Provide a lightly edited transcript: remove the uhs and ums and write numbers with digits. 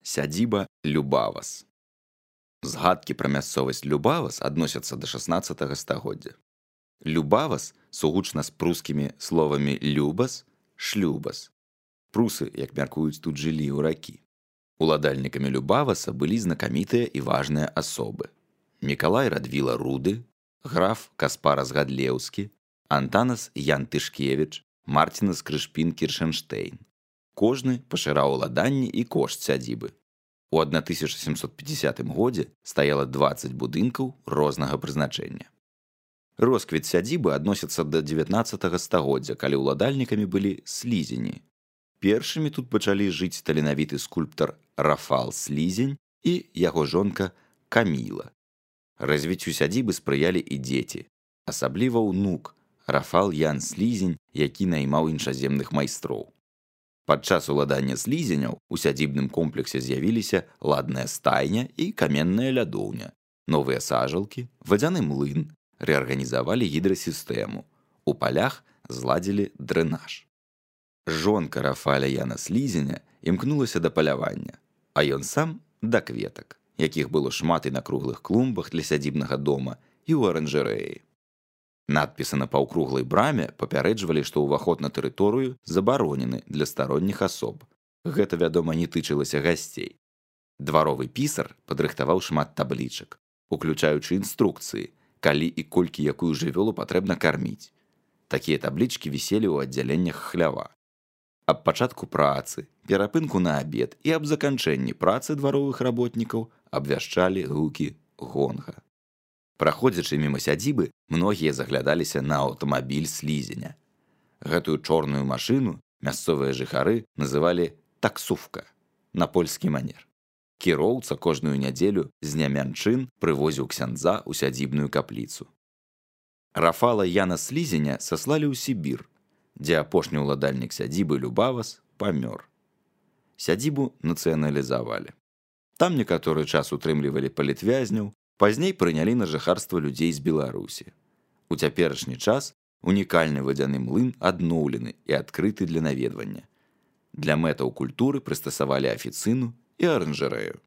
Сядзіба Любавас. Згадкі пра мясцовасць Любавас адносяцца да 16 стагоддзя. Любавас сугучна з прускімі словамі «любас», «шлюбас». Прусы, як мяркуюць, тут жылі ў ракі. Уладальнікамі Любаваса былі знакамітыя і важныя асобы. Мікалай Радвіла Руды, граф Каспарас Гадлеўскі, Антанас Ян Тышкевіч, Мартінас Крышпін Кіршэнштейн. Кожны пашыраў уладанні і кошт сядзібы. У 1750 годзе стаяла 20 будынкаў рознага прызначэння. Росквіт сядзібы адносіцца да 19 стагоддзя, калі ўладальнікамі былі слізені. Першымі тут пачалі жыць таленавіты скульптар Рафал Слізень і яго жонка Каміла. Развіццю сядзібы спрыялі і дзеці, асабліва ўнук Рафал Ян Слізень, які наймаў іншаземных майстроў. Падчас уладання слізеняў у сядзібным комплексе з'явіліся ладная стайня і каменная лядоўня, новыя сажалкі, вадзяны млын, рэарганізавалі гідрасістэму, у палях зладзілі дрэнаж. Жонка Рафаля Яна Слізеня імкнулася да палявання, а ён сам да кветак, якіх было шмат і на круглых клумбах для сядзібнага дома і ў аранжарэі. Надпісы на паўкруглай браме папярэджвалі, што ўваход на тэрыторыю забаронены для старонніх асоб. Гэта, вядома, не тычылася гасцей. Дваровы пісар падрыхтаваў шмат таблічак, уключаючы інструкцыі, калі і колькі якую жывёлу патрэбна карміць. Такія таблічкі віселі ў аддзяленнях хлява. Аб пачатку працы, перапынку на абед і аб заканчэнні працы дваровых работнікаў абвяшчалі гукі гонга. Праходзячы міма сядзібы, многія заглядаліся на аўтамабіль слізеня. Гэтую чорную машыну мясцовыя жыхары называлі таксувка на польскі манер. Кіроўца кожную нядзелю з нямянчын прывозіў ксяндза ў сядзібную капліцу. Рафала Яна Слізеня саслалі ў Сібір, дзе апошні ўладальнік сядзібы Любавас памёр. Сядзібу нацыяналізавалі. Там некаторы час утрымлівалі палітвязняў, пазней прынялі на жыхарства людзей з Беларусі. У цяперашні час унікальны вадзяны млын адноўлены і адкрыты для наведвання. Для мэтаў культуры прыстасавалі афіцыну і аранжарэю.